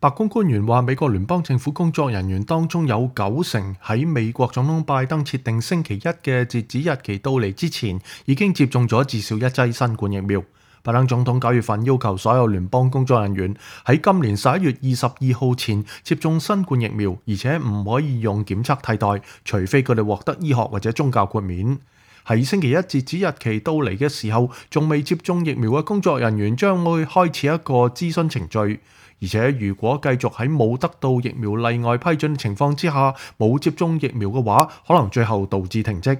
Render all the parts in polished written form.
白宮官員話，美國聯邦政府工作人員當中有90%喺美國總統拜登設定星期一嘅截止日期到嚟之前，已經接種咗至少一劑新冠疫苗。拜登總統9月份要求所有聯邦工作人員喺今年11月22號前接種新冠疫苗，而且唔可以用檢測替代，除非佢哋獲得醫學或者宗教豁免。喺星期一截止日期到嚟嘅時候，仲未接種疫苗嘅工作人員將會開始一個諮詢程序，而且如果繼續喺冇得到疫苗例外批准嘅情況之下冇接種疫苗嘅話，可能最後導致停職。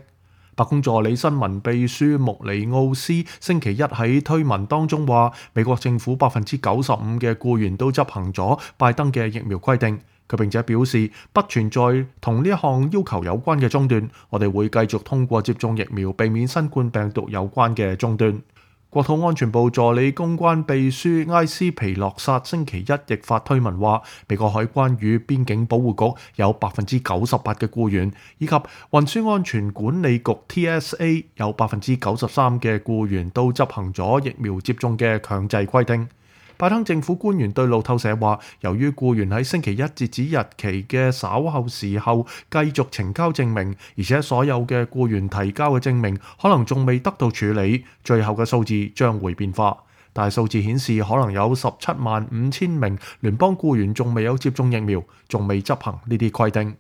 白宮助理新聞秘書穆尼奧斯星期一喺推文當中話，美國政府95%嘅僱員都執行咗拜登嘅疫苗規定。佢並且表示，不存在同呢一項要求有關嘅中斷，我哋會繼續通過接種疫苗避免新冠病毒有關嘅中斷。國土安全部助理公關秘書埃斯皮洛薩星期一亦發推文話，美國海關與邊境保護局有98%嘅僱員，以及運輸安全管理局 TSA 有93%嘅僱員都執行咗疫苗接種嘅強制規定。拜登政府官員對路透社話，由於僱員喺星期一截止日期嘅稍後時候繼續呈交證明，而且所有嘅僱員提交嘅證明可能仲未得到處理，最後嘅數字將會變化。但係數字顯示，可能有175000名聯邦僱員仲未有接種疫苗，仲未執行呢啲規定。